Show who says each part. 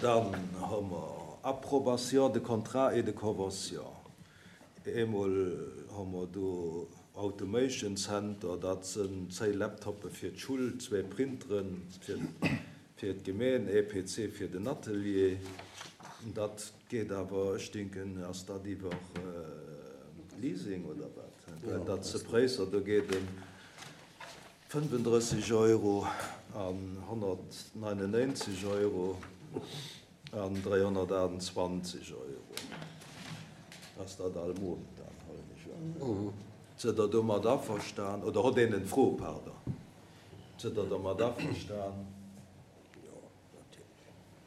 Speaker 1: Dann hu mer Approbation de contrats et de conventions. Eemol hu mer do Automation Center, dat sënn 10 Laptoppe fir d'Schull, zwee Printeren fir d'Gemeen, ee PC fir den Atelier. Dat geet awer, ech denken, ass dat iwwer Leasing oder wat? Well dat ze Préisser, do geet ëm 35 Euro an 199 Euro an 328 Euro. Ass dat all Mount dann, huelen ech un. Sidd Der domat averstan? Oder hott een en Fro, pardon. Sidd Der domat averstan?